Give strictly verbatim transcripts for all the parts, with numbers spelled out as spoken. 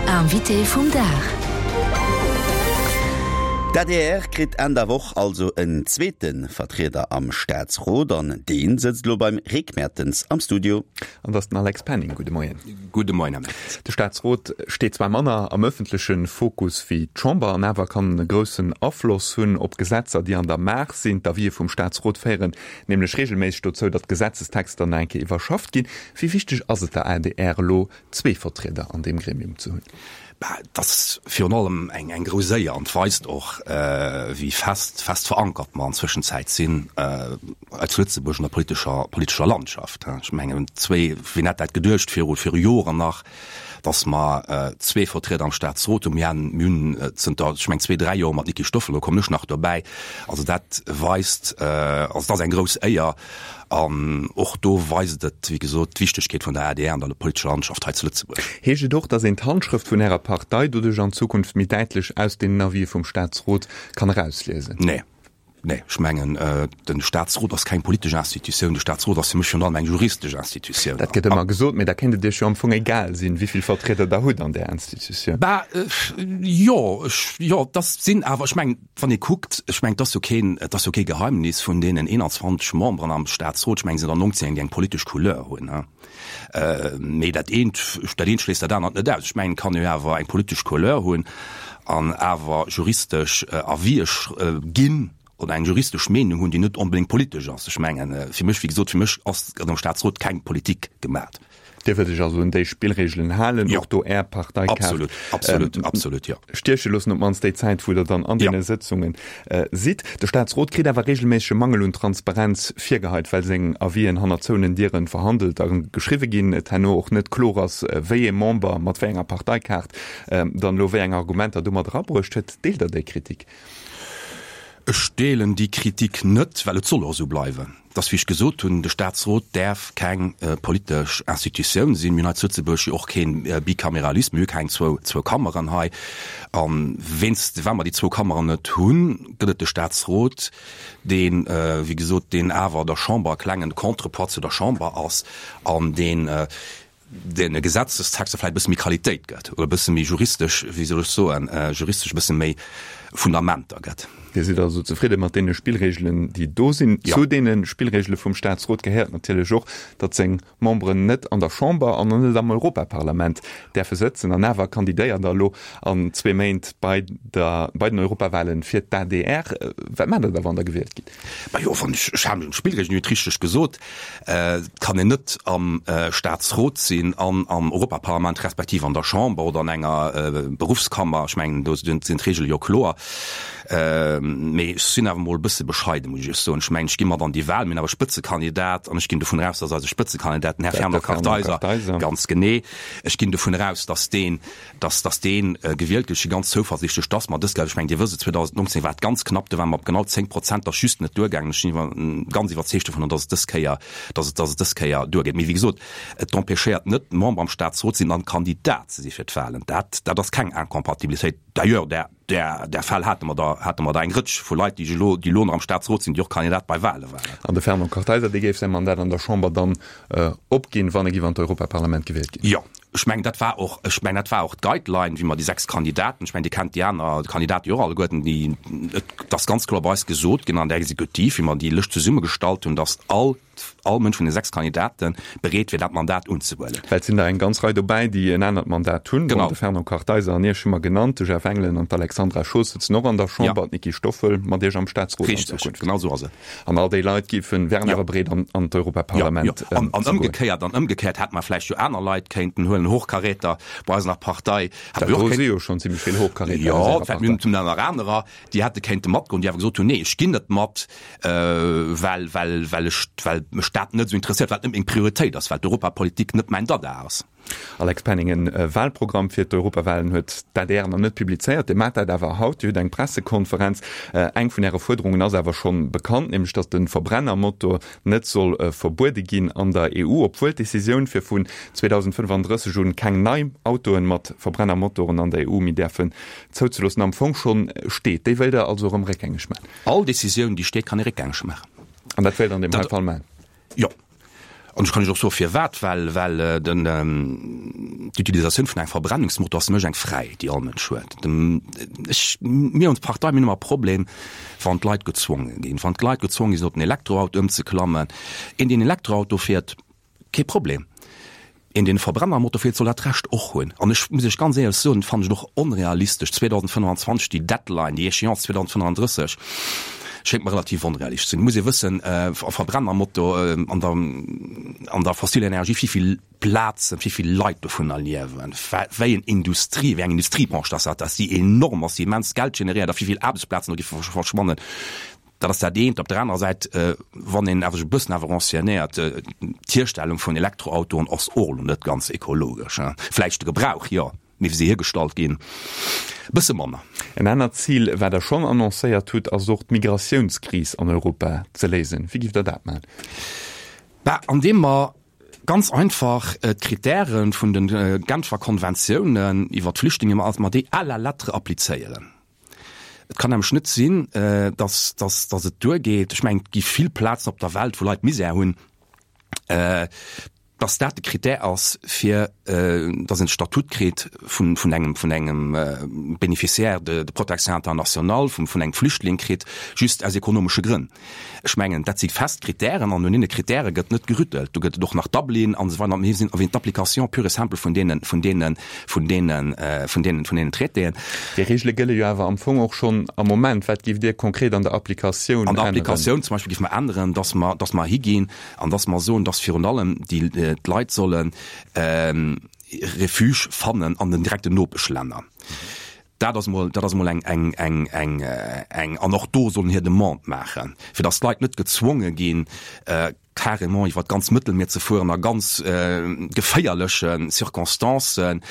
Invité vum Dag. D'A D R kritt Enn der Woch also en zweete Vertrieder am Staatsrot an dee sëtzt elo beim Rick Mertens am Studio. An dat ass den Alex Penning. Gudde Moien. Gudde Moien, Här Mertens. De Staatsrot steet zwar manner am ëffentleche Fokus wéi d'Chamber, an awer kann en e groussen Afloss hunn op Gesetzer, déi an der Maach sinn. D'Avisë vum Staatsrot féieren nämlech reegelméisseg dozou, datt Gesetzestexter nach eng Kéier iwwerschafft ginn. Wéi wichteg ass et der A D R elo, zwee Vertrieder an deem Gremium ze hunn? Bah, et ass virun allem eng eng grouss Éier an et weist och, wéi fest fest verankert mer an Zwëschenzäit sinn hei zu Lëtzebuerg an der politescher politescher Landschaft. Ech mengen, zwee, wien hätt dat geduecht viru viru Joren nach, dass mer zwee Vertrieder am Staatsrot hunn. Mir han mir hunn zënter, ech mengen, zwee, dräi Joer mat Niki Stoffel, do kommen ech nach dobäi. Also dat weist, also et ass eng grouss Éier an och do weist et, wéi gesot, d'Wichtegkeet vun der A D R an der politescher Landschaft hei zu Lëtzebuerg. Heescht et och, dass een d'Handschrëft vun Ärer Partei doduerch an Zukunft méi däitlech aus deenen Avisë vum Staatsrot kann erausliesen? Nee. Nee, ech mengen, de Staatsrot ass keng politesch Institutioun. De Staatsrot ass fir mech virun allem eng juristesch Institutioun. Dat gëtt ëmmer gesot, mee da kéint et Iech jo am Fong egal sinn, wéi vill Vertrieder Der hutt an där Institutioun. Bah, jo, ech, jo, dass sinn awer, ech mengen, wann ee kuckt, ech mengen, et ass jo keen, et ass jo kee Geheimnis, vun deenen eenanzwanzeg Memberen am Staatsrot, ech mengen, sinn der neunzéng, déi eng politesch Couleur hunn. Mee dat eent, dat eent schléisst dat anert net aus. Ech mengen, et kann ee jo awer eng politesch Couleur hunn an awer juristesch Avisë ginn oder eng juristesch Meenung hunn, déi net onbedéngt politesch ass. Ech mengen, fir mech, wéi gesot, fir mech ass, gëtt am Staatsrot keng Politik gemat. Dir wëllt Iech also un déi Spillreegelen halen, och do Är Parteikaart Absolut, absolut, absolut, jo. stieche loossen, op d'mannst déi Zäit, wou Der dann an deene Sëtzunge sidd. De Staatsrot kritt awer reegelméisseg e Mangel un Transparenz virgeheit, well seng Avisen hanner zouenen Dieren verhandelt a geschriwwe ginn, et herno och net kloer ass, wéi ee Member mat wéi enger Parteikaart dann elo wéi eng Argumenter do mat erabruecht huet. Deelt Der déi Kritik? Ech deelen déi Kritik net, well et soll och esou bleiwen. Et ass, wéi ech gesot hunn, de Statsrot däerf keng politesch Institutioun sinn. Mir hunn hei zu Lëtzebuerg jo och kee Bicameralisme, mir hu keng zwou, zwou Kammeren hei. A wéinst, well mer déi zwou Kammeren net hunn, gëtt et de Statsrot, deen, wéi gesot, deen awer der Chamber e klengen Contrepoids zu der Chamber ass an deen, deene Gesetzestexter vläicht e bësse méi Qualitéit gëtt oder e bësse méi juristesch, wéi soll ech soen, juristesch e bësse méi Fundamenter gëtt. Dir sidd also zefridde mat deene Spillregelen, déi do sinn. Jo. Zu deene Spillregele vum Staatsrot gehéiert natierlech och, datt seng Memberen net an der Chamber an och net am Europaparlament däerfe sëtzen. An awer kandidéiert Der elo an zwee Méint bei der, bei den Europawahlen fir d'A D R. Wat maacht Der da, wann Der gewielt gitt? Majo, wann ech, ech halen mech un d'Spillregelen, Dir hutt richteg gesot. Et kann een net am Staatsrot sinn an am Europaparlament respektiv an der Chamber oder an enger Beruffskammer. Ech mengen, do sinn d'Reegele jo kloer. Mee ech sinn awer emol e bësse bescheiden, muss ech Iech soen. Ech mengen, ech gi mat an déi Wahl, mir hunn awer e Spëtzekandidat an ech ginn dovun eraus, dass eise Spëtzekandidat, den Här Fernand Kartheiser, ganz genee, ech ginn dovun eraus, dass deen, dass, dass dee gewielt gëtt. Ech si ganz zouversiichtlech, dass mer dës Kéier, ech mengen, Dir wësst et, zweedausendnonzéng war et ganz knapp, do ware mer op genau zéng Prozent, dat ass just net duergaangen. Ech sinn iwwer, ganz iwwerzeegt dovunner, dass et dës Kéier, dass et, dass et dës Kéier duergeet. Mee wéi gesot, et empêchéiert net, Member am Staatsrot ze sinn an Kandidat ze si fir d'Wahlen. Dat, dat ass keng Incompatibilitéit. D'ailleurs, där, där, där Fäll hate mer der, hate mer der eng Rëtsch vu Leit, déi elo, déi elo nach am Staatsrot sinn, déi och Kandidat bei Wahle waren. An de Fernand Kartheiser, dee géif säi Mandat an der Chamber dann opginn, wann e giff an d'Europaparlament gewielt ginn? Jo. Ech mengen, dat war och, ech mengen, dat war och d'Guideline, wéi mer déi sechs Kandidaten, ech mengen, Dir kennt déi aner Kandidaten jo och alleguerten, déi, et ass ganz kloer bei eis gesot ginn an der Exekutiv, wéi mer déi Lëscht zesummegestallt hunn, dass all, all Mënsch vun de sechs Kandidate bereet wier, dat Mandat unzehuelen. Well et sinn der eng ganz Rei dobäi, déi en anert Mandat hunn. Bon, Genau. de Fernand Kartheiser an Iech hu mer genannt, de Jeff Engelen an d'Alexandra Schoos sëtzen och an der Ja. Chamber, d'Niki Stoffel mat Iech am Staatsrot an Richteg, Zukunft. genau esou ass et. An all déi Leit géifen, wären Ja. awer bereet, an, an Ja, d'Europaparlament jo. An, an ze goen. ëmgekéiert, an ëmgekéiert hätte mer vläicht jo aner Leit kéinten huelen, Hochkaräter bei eis an der Partei. Hätte Dat mir och do kéint, si jo schonn zimmlech vill Hochkaräter aus jo, Ärer vläicht mir Partei. hunn nach anerer, déi hätte kéinte matgoen, déi awer gesot hunn, nee, ech ginn net mat, well, well, well ech, well mech dat net esou interesséiert, well et net meng Prioritéit ass, well d'Europapolitik net mäin Dada ass. Alex Penning, E Wahlprogramm fir d'Europawahlen huet d'A D R nach net publizéiert. Dir maacht dat awer haut. Dir hutt eng Pressekonferenz. Eng vun Äre Fuerderungen ass awer schonn bekannt, nämlech datt de Verbrennermotor net soll verbuede ginn an der E U, obwuel d'Decisioun fir vun zweedausendfënnefandrësseg un keng nei Autoen mat Verbrennermotoren an der E U méi däerfen zouzeloossen, am Fong schonn steet. Déi wëllt Der also erëm réckgängeg maachen? All Decisioun, déi steet, kann ee réckgängeg maachen. An dat wéilt Der an deem hei Fall maachen? Jo. An ech kann lech och soe firwat, well, well den, d'Utilisatioun vun engem Verbrennungsmotor ass nämlech eng fräi, déi all Mënsch huet. Dem, ech, mir ons Partei, mir hunn ëmmer e Problem, wann d'Leit gezwonge ginn, wann d'Leit gezwonge sinn op den Elektroauto ëmzeklammen. Een, deen Elektroauto fiert, kee Problem. Een, deen e Verbrennermotor fiert, soll dat Recht och hunn. An ech muss Iech ganz éierlech soen, fannen ech et och onrealistesch, zweedausendfënnwanzwanzeg, déi Deadline, déi Échéance zweedausendfënnwanddrësseg, schéngt mer relativ onrealistesch ze sinn. Et muss ee wëssen, e Verbrennermotor an der, an der fossiler Energie, wéi vill Plazen, wéi vill Leit dovunner liewen, wéi eng Industrie, wéi eng Industriebranche dass dat ass, déi enorm ass, déi immens Geld generéiert a wéi vill Aarbechtsplazen do géife verschwannen. Dat ass dat eent. Op der anerer Säit, wann een awer sech e bëssen awer renseignéiert, d'Hierstellung vun Elektroautoen ass och elo net ganz ekologesch. Vläicht de Gebrauch, jo, mee wéi se hiergestallt ginn, e bësse manner. En anert Zil, wat Der schonn annoncéiert hutt, ass och d'Migratiounskris an Europa ze léisen. Wéi giff Der dat maachen? Bah, andeem mer ganz einfach d'Kritäre vun de Genfer Konventiounen iwwert d'Flüchtlinge, mer déi à la lettre applizéieren. Et kann nämlech net sinn, dass, dass, dass et duergeet, ech mengen, et gi vill Plazen op der Welt, wou Leit Misär hunn, dass dat de Kritär ass, fir dass een de Statut kritt vun, vun engem, vun engem Bénéficiaire de, de protection internationale, vun, vun engem Flüchtling kritt, just aus ekonomesche Grënn. Ech mengen, dat si fest Kritären an un deene Kritäre gëtt net gerüttelt. Do gëtt et och nach Dublin an esou weider. Mir sinn erwähnt d'Application pure et simple vun deenen, vun deenen, vun deenen, vun deenen, vun deenen Traitéen. Déi Regele gëlle jo awer am Fong och schonn am Moment. Wat géift Dir konkret an der Applikatioun An der änneren? Applikatioun zum Beispill géife mer änneren, dass mer, dass mer higinn an dass mer soen, dass virun allem déi, d'Leit solle Refuge fannen an den direkten Nopeschlänner. Dat ass emol, dat ass emol eng, eng, eng, eng, eng, an och do sollen hir Demande maachen, fir datt d'Leit net gezwonge ginn, carrément iwwer d'ganz Mëttelmier ze fueren a ganz geféierleche Circonstancen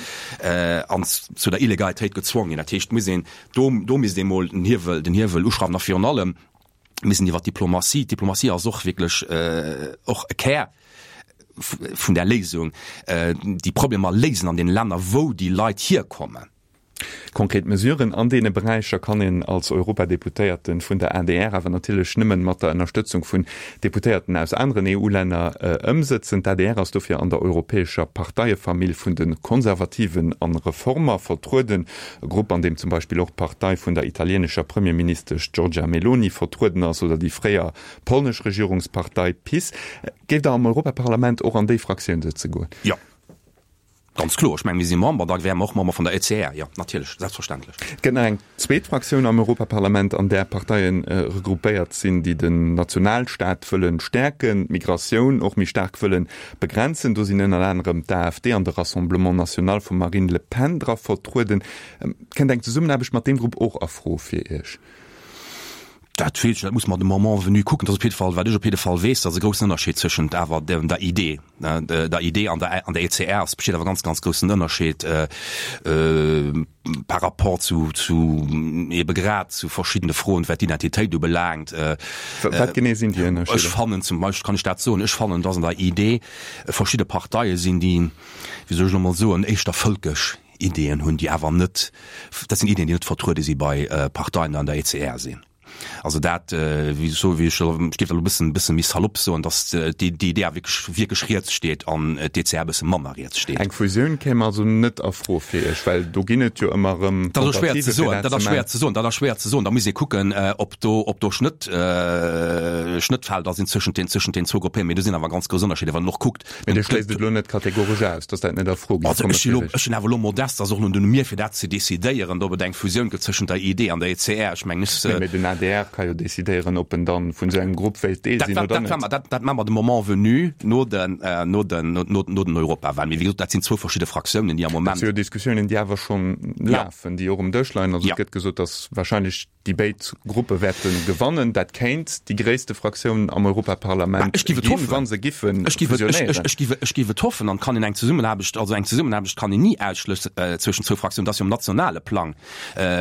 an zu der Illegalitéit gezwongen ginn. Dat heescht, et muss een, do, do misst ee mol den Hiewel, den Hiewel uschrauwen a virun allem missten iwwer d'Diplomatie, d'Diplomatie ass och wierklech och e Kär vun där Léisung, déi Problemer léisen an deene Länner, wou déi Leit hierkommen. Konkret Mesuren an deene Beräicher kann een als Europadeputéierten vun der adr awer natierlech nëmmen mat der Ënnerstëtzung vun Deputéierten aus aneren E U-Länner ëmsëtzen. D'A D R ass dofir an der europäescher Parteiefamill vun de Konservativen an Reformer vertrueden, e Grupp an deem zum Beispill och d'Partei vun der italienescher Premierministesch Giorgia Meloni vertrueden ass oder déi fréier polnesch Regierungspartei PiS. Géift Der am Europaparlament och an déi Fraktioun sëtze goen? Jo. Ganz kloer. Ech mengen, mir si Member, da wäre mer och Member vun der E C R. Jo, natierlech, selbstverständlech. Et gëtt nach eng zweet Fraktioun am Europaparlament, an där Parteie regroupéiert sinn, déi den Nationalstaat wëlle stäerken, d'Migratioun och méi staark wëlle begrenzen. Do sinn ënner anerem d'A F D an de Rassemblement National vum Marine Le Pen dra vertrueden. Kënnt eng Zesummenaarbecht mat deem Grupp och a Fro fir Iech? Dat weess ech net, dat muss mer de Moment venu kucken. Dat ass op jidde Fall, wat ech op jidde Fall weess, dass e groussen Ënnerscheed tëschent awer der I D, der I D an der an der E C R ass, besteet awer ganz, ganz groussen Ënnerscheed par rapport zu, zu ebe grad zu verschiddene Froen, wat d'Identitéit ubelaangt. Wat genee sinn déi Ënnerscheeder? Ech fannen zum Beispill, kann ech dat soen, ech fannen, dass an der I D verschidde Parteie sinn, déi, wéi soll ech elo mol soen, éischter vëlkesch Ideeën hunn, déi awer net, dat sinn Ideeën, déi net vertruede si bei Parteien, déi an der E C R sinn. Also dat, wéi ech soen, wéi ech ech géif elo e bëssen, bësse méi salopp soen, datt déi déi I D wierklech, wierklech riets steet an d'E C R e bësse manner riets steet. Eng Fusioun kéim also net a Fro fir Iech, well do ginn et jo ëmmer erëm Dat ass schwéier ze soen, dat ass schwéier ze soen, dat ass schwéier ze soen. Da muss ee kucken, ob do, ob do Schnëtt, Schnëttfelder sinn zwëschent den, zwëschent den zwou Gruppéieren. Mee do sinn awer ganz grouss Ënnerscheeder, wann een och kuckt. Mee Dir schléisst et elo net kategoresch aus, datt dat net a Fro géif kommen fir Iech? Ech sinn awer elo modest, ass och net un mir fir dat ze decidéieren, ob et eng Fusioun gëtt zwëschent der I D an der E C R. Ech mengen, ech. Nee, mee den A D R ka jo decidéieren, ob en dann vun esou engem Grupp wéilt Deel sinn oder net. Dat, dat maache mer de Moment venu, no den, no den, no, no den Europawahlen. Mee wéi gesot, dat sinn zwou verschidde Fraktiounen, déi am Moment. Dat si jo Diskussiounen, déi awer schonn lafen, déi och um Dësch leien. Also et gëtt gesot, datt wahrscheinlech déi béid Gruppe wäerte gewannen. Dat kéint déi gréisste Fraktioun am Europaparlament ginn, wa se giffe fusionéieren. Ech géif, ech géif et hoffen. An kann een eng Zesummenaarbecht, also eng Zesummenaarbecht kann een ni ausschlëss zwëschen zwou Fraktiounen. Dat ass jo um nationale Plang.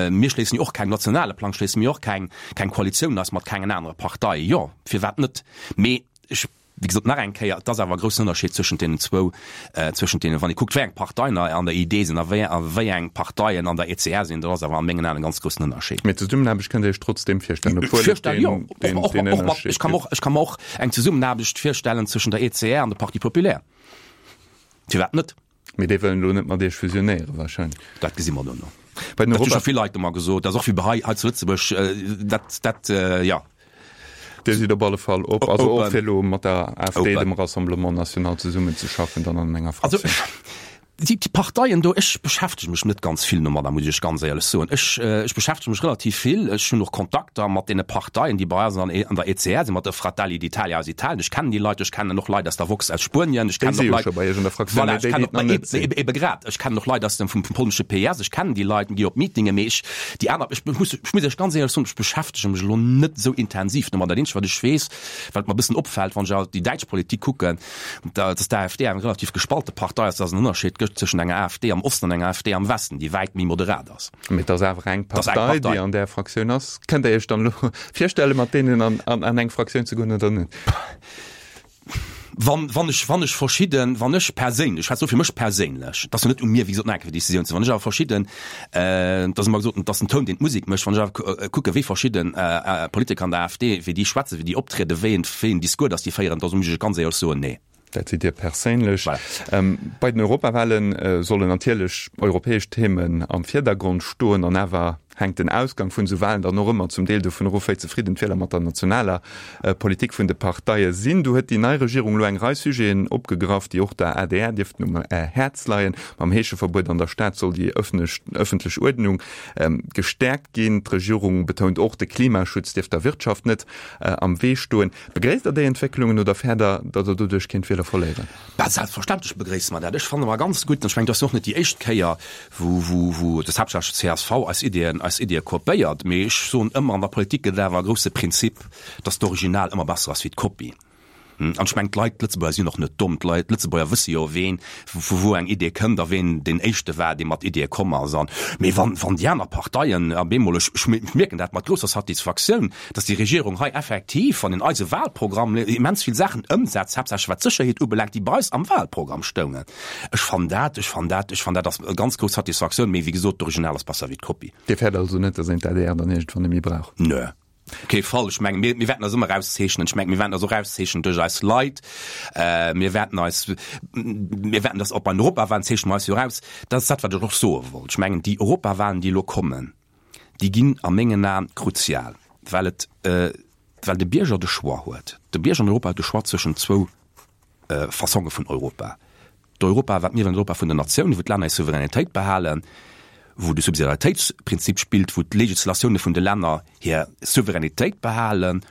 Mir schléissen jo och keng, nationale Plang schléisse mir och keng, keng Koalitioun aus mat kengen anere Partei. Jo, firwat net? Mee ech Wéi gesot, nach eng Kéier, et ass awer e groussen Ënnerscheed zwëschent deenen zwou, zwëschent deenen, wann ee kuckt, wéi eng Parteien an der I D sinn a wéi, a wéi eng Parteien an der E C R sinn, do ass awer a mengen Aen e ganz groussen Ënnerscheed. Mee Zesummenaarbecht kënnt Dir Iech trotzdeem virstellen, obwuel et Virstellen, jo, deen, och, deen, och, deen och mat, Ënnerscheed ech ka mer gëtt. och, ech ka mer och eng Zesummenaarbecht virstellen zwëschen der E C R an der Parti populaire. Firwat net? Mee déi wëllen elo net mat Iech fusionéieren wahrscheinlech. Dat gesi mer duerno. Bei den Dat hu Europa scho vill Leit ëmmer gesot, dat ass och wéi bei hei, hei zu Lëtzebuerg, dat, dat, jo. Dir sidd op alle Fall op, also och Open. fir elo mat der A F D, Open. dem Rassemblement National zesummenzeschaffen, dann an enger Also, Fraktioun. déi, déi Parteien do, ech beschäftege mech net ganz vill domadder, muss ech ganz éierlech soen. Ech, ech beschäftege mech relativ vill, ech hunn och Kontakter mat deene Parteien, déi bei eis an, an der E C R sinn, mat der Fratelli d'Italia aus Italien. Ech kennen déi Leit, ech kennen och Leit aus der Vox aus Spuenien, ech Déi kennen si och jo Leit, scho bei Iech an der Fraktioun, voilà, mee ech déi, déi kennen et nach och, net sinn. ebe, ebe grad, ech kennen och Leit aus dem, vum, vum polnesche P S, ech kennen déi Leit, gi op Meetinge, mee ech, déi aner, ech muss, ech muss Iech ganz éierlech soen, ech beschäftege mech elo net esou intensiv domadder. Dat eenzegt, wat ech weess, wat mer e bëssen opfält, wann ech alt déi däitsch Politik kucken, da, dass d'A F D eng relativ gespalte Partei ass, dass es en Ënnerscheed gëtt tëschent enger A F D am Osten an enger A F D am Westen, déi wäit méi moderat ass. Mee et ass awer eng Et ass eng Partei, Partei. déi an där Fraktioun ass. Kënnt Der Iech dann elo virstellen, mat deenen an, an, an eng Fraktioun ze goen oder net? Wann, wann ech, wann ech verschidden, wann ech perséinlech, ech schwätze lo fir mech perséinlech, et ass jo net u mir, wéi gesot, nach eng Kéier Decisioun ze, wann ech awer verschidden, äh, et ass ëmmer gesot, et ass den Toun, deen d'Musek mécht, wann ech awer kucke wéi verschidden äh, äh, Politiker an der A F D, wéi déi schwätzen, wéi déi optrieden, wéi en, wéi en Discours, dass déi féieren, da muss ech ganz éierlech soen, nee. Dat sidd Dir perséinlech. Voilà. Ähm, bei den Europawahlen äh, sollen natierlech europäesch Themen am Virdergrond stoen an awer hänkt den Ausgang vun esou Wahlen dann och ëmmer zum Deel dovun of, wéi zefridden d'Wieler mat der nationaler äh, Politik vun de Parteie sinn. Do huet déi nei Regierung elo eng Rei Sujeten opgegraff, déi och der A D R dierften um äh, Häerz leien. Mam Heescheverbuet an der Stad soll déi ëffentlech Uerdnung ähm, gestäerkt ginn. D'Regierung betount och, de Klimaschutz dierf der Wirtschaft net äh, am Wee stoen. Begréisst Der déi Entwécklungen oder fäert Der, datt Der doduerch kéint Wieler verléieren? Bah, selbstverständlech begréisse mer dat. Ech fanne mer ganz gutt, an ech mengen, dat ass och net déi éischt Kéier, wou, wou, wou das haaptsächlech C S V eis Iddien, eis Iddie kopéiert. Mee ech soen ëmmer, an der Politik gëtt et awer e grousse Prinzip, dass d'Original ëmmer besser ass wéi d'Kopie. An ech mengen, d'Leit, d'Lëtzebuerger sinn och net domm. D'Leit, d'Lëtzebuerger wësse jo, ween, vu wou eng Idee kënnt a ween deen Éischte war, dee mat Ideeë komm ass. An, mee wann, wann déi aner Parteien op eemol, ech, ech mierken dat mat grousser Satisfaktioun, dass déi Regierung hei effektiv an in eise Wahlprogramm immens vill Saachen ëmsetzt, haaptsächlech wat d'Sécherheet ubelaangt, déi bei eis am Wahlprogramm stoungen. Ech fannen dat, ech fannen dat, ech fannen dat ass e ganz grouss Satisfaktioun, mee wéi gesot, d'Original ass besser wéi d'Kopie. Dir fäert also net, dass een d'A D R dann iergendwann net méi brauch? Nö. Op kee Fall. Ech mengen, mir, mir wäerten eis ëmmer erauszeechnen. Ech mengen, mir wäerten eis och erauszeechnen duerch eis Leit. Äh, mir wäerten eis, mir wäerten das och bei den Europawahlen zeechne mer eis jo eraus. Dat ass dat, wat ech och soe wollt. Ech mengen, déi Europawahlen, déi elo kommen, déi ginn a mengen Aen kruzial, well et, äh, well de Bierger de Choix huet. De Bierger an Europa huet de Choix zwëschen zwou äh, Fassonge vun Europa. D'Europa, wat mir wëllen, Europa vun den Natiounen, wou d'Länner hir Souveränitéit behalen, wou de Subsidiaritéitsprinzip spillt, wou d'Legislatioune vun de Länner hir Souveränitéit behalen,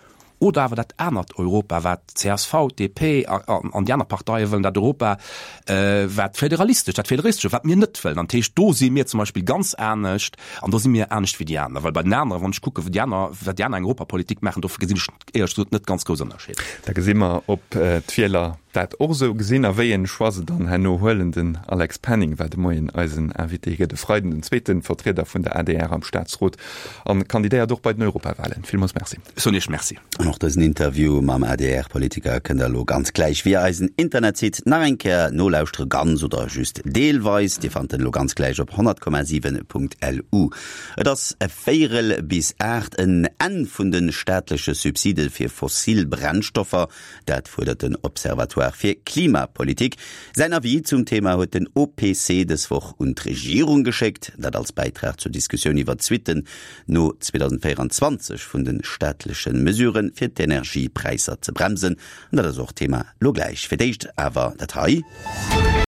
oder awer dat anert Europa, wat C S V, D P an déi aner Parteie wëllen, dat Europa, wat federalistesch, dat federalistesche, wat mir net wëllen. An dat heescht, do si mir zum Beispill ganz anescht an do si mir anescht wéi déi aner. Well bei den aneren, wann ech kucke wéi déi aner, wat déi aner eng Europapolitik maachen, do gesinn ech éierlech gesot net ganz grouss Ënnerscheeder. Da gesi mer, ob d'Wieler dat och esou gesinn a wéi en Choix se dann herno huelen. Den Alex Penning war de Moien eisen Invité. Hie gëtt e Freiden den zweete Vertrieder vun der A D R am Staatsrot an kandidéiert och bei den Europawahlen. Villmools Merci. Ech soen Iech Merci. An och dësen Interview mam A D R-Politiker kënnt der elo ganz gläich via eisen Internetsite nach eng Kéier nolauschtere, ganz oder just deelweis. Dir fannt en elo ganz gläich op honnert Komma siwen Punkt L U. Et ass e Véierel bis aacht. En Enn vun de staatleche Subside fir fossil Brennstoffer, dat fuerdert den Observatoire fir Klimapolitik. Säin Avis zum Thema huet den O P C dës Woch un d'Regierung geschéckt, dat als Bäitrag zur Diskussioun iwwer d'Suitten no zweedausendvéieranzwanzeg vun de staatleche Mesuren, fir d'Energiepräisser ze bremsen. An dat ass och Thema lo gläich. Fir d'éischt awer dat hei.